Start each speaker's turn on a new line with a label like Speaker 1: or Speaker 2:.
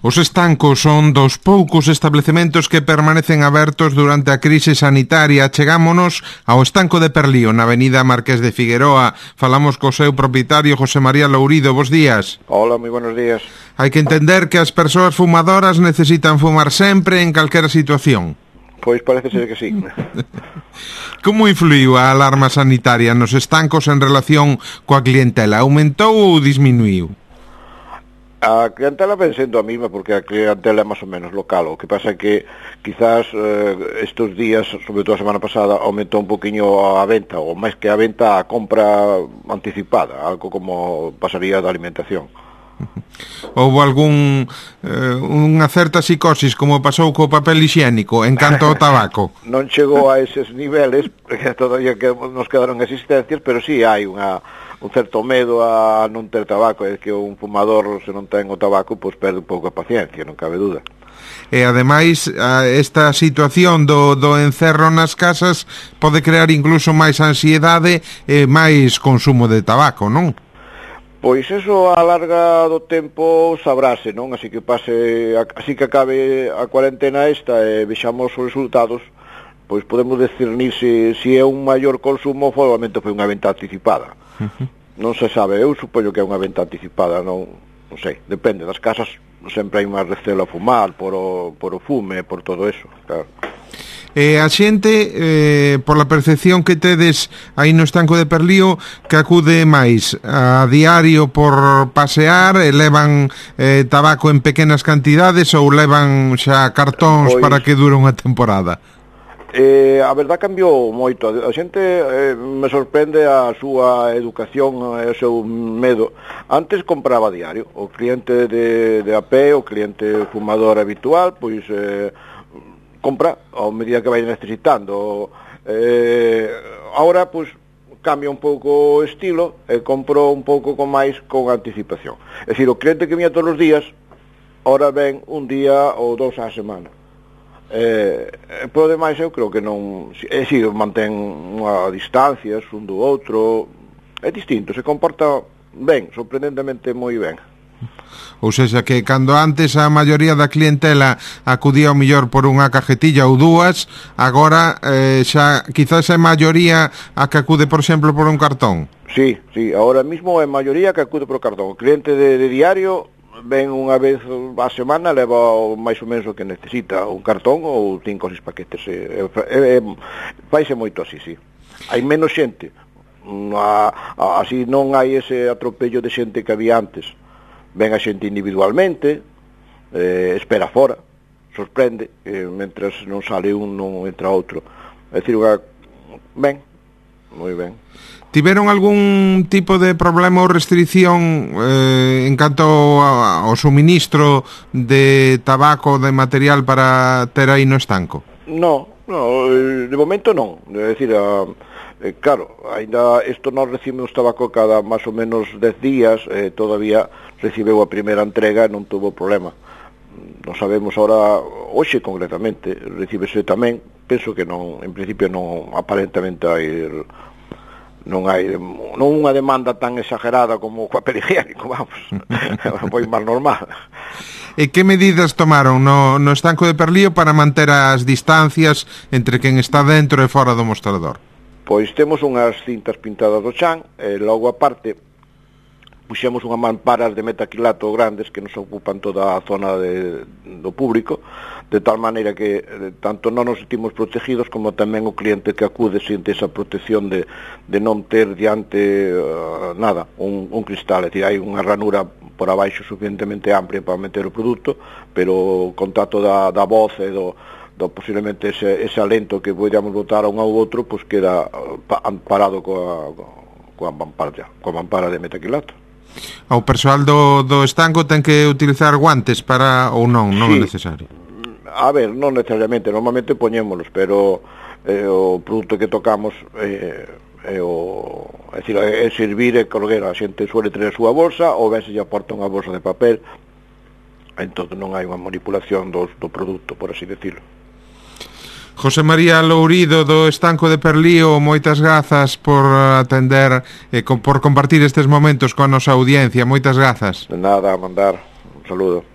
Speaker 1: Os estancos son dos poucos establecementos que permanecen abertos durante a crise sanitaria. Chegámonos ao estanco de Perlío, na avenida Marqués de Figueroa. Falamos co seu propietario, José María Lourido. Bos días.
Speaker 2: Hola, moi buenos días.
Speaker 1: Hai que entender que as persoas fumadoras necesitan fumar sempre en calquera situación.
Speaker 2: Pois parece ser que sí.
Speaker 1: Como influiu a alarma sanitaria nos estancos en relación coa clientela? Aumentou ou disminuiu?
Speaker 2: A clientela ven sendo a mesma porque a clientela é máis ou menos local. O que pasa é que quizás estes días, sobre todo a semana pasada, aumentou un poquinho a venta, ou máis que a venta, a compra anticipada, algo como pasaría da alimentación.
Speaker 1: Houve unha certa psicosis, como pasou co papel higiénico, en canto ao tabaco?
Speaker 2: Non chegou a eses niveles, porque todavía nos quedaron existencias, pero sí hai un certo medo a non ter tabaco. É que un fumador, se non ten o tabaco, pois perde un pouco a paciencia, non cabe duda.
Speaker 1: E ademais, esta situación do encerro nas casas pode crear incluso máis ansiedade e máis consumo de tabaco, non?
Speaker 2: Pois eso a larga do tempo sabrase, non? Así que acabe a cuarentena esta e vexamos os resultados, pois podemos discernir se é un maior consumo, probablemente foi unha venta anticipada. Non se sabe, eu supoño que é unha venta anticipada, non sei, depende das casas, sempre hai máis recelo a fumar por o fume, por todo eso, claro.
Speaker 1: A xente, pola percepción que tedes aí no estanco de Perlío, que acude máis a diario por pasear, e levan tabaco en pequenas cantidades ou levan xa cartóns para que dure unha temporada?
Speaker 2: A verdad cambiou moito. A xente me sorprende a súa educación e o seu medo. Antes compraba diario. O cliente de a pé, o cliente fumador habitual, pois compra ao medida que vai necesitando. Ahora, pois, cambia un pouco o estilo e compro un pouco con anticipación. É dicir, o cliente que viña todos os días, ahora ven un día ou dous á semana. Por demais, eu creo que non... Si mantén unha distancia un do outro, é distinto, se comporta ben, sorprendentemente moi ben.
Speaker 1: Ou seja, que cando antes a maioría da clientela acudía ao mellor por unha cajetilla ou dúas, agora xa quizás é maioría a que acude, por exemplo, por un cartón.
Speaker 2: Sí, agora mismo é maioría que acude por cartón. O cliente de diario ven unha vez a semana, leva máis ou menos o que necesita, un cartón ou 5 ou 6 paquetes. Faise moito así, sí. Hai menos xente, así non hai ese atropello de xente que había antes. Ven a xente individualmente, espera fora, sorprende, mentras non sale un, non entra outro. É dicir, ben, moi ben.
Speaker 1: Tiveron algún tipo de problema ou restricción en canto ao suministro de tabaco, de material para ter aí no estanco?
Speaker 2: No, de momento non. É dicir, claro, ainda isto nós recibimos tabaco cada máis ou menos 10 días, todavía recibeu a primeira entrega e non tuvo problema. Non sabemos ahora, hoxe concretamente, recibese tamén, penso que non, en principio non, aparentemente non hai unha demanda tan exagerada como o papel higiénico, vamos, foi máis normal.
Speaker 1: E que medidas tomaron no estanco de Perlío para manter as distancias entre quen está dentro e fora do mostrador?
Speaker 2: Pois temos unhas cintas pintadas do chan, e logo aparte puxemos unhas mamparas de metacrilato grandes que nos ocupan toda a zona do público, de tal maneira que tanto non nos sentimos protegidos como tamén o cliente que acude sente esa protección de non ter diante nada, un cristal. É dicir, hai unha ranura por abaixo suficientemente amplia para meter o produto, pero o contacto da voz e do posiblemente ese alento que podíamos botar a un ou outro, pois queda amparado coa mampara de metacrilato.
Speaker 1: O persoal do estanco ten que utilizar guantes para ou non é necesario?
Speaker 2: A ver, non necesariamente, normalmente poñémolos, pero o produto que tocamos é servir e colguer. A xente suele ter a súa bolsa ou ben se lle aporta unha bolsa de papel, entón non hai unha manipulación do produto, por así decirlo.
Speaker 1: José María Lourido do estanco de Perlío, moitas grazas por atender e por compartir estes momentos coa nosa audiencia. Moitas grazas.
Speaker 2: De nada, a mandar. Un saludo.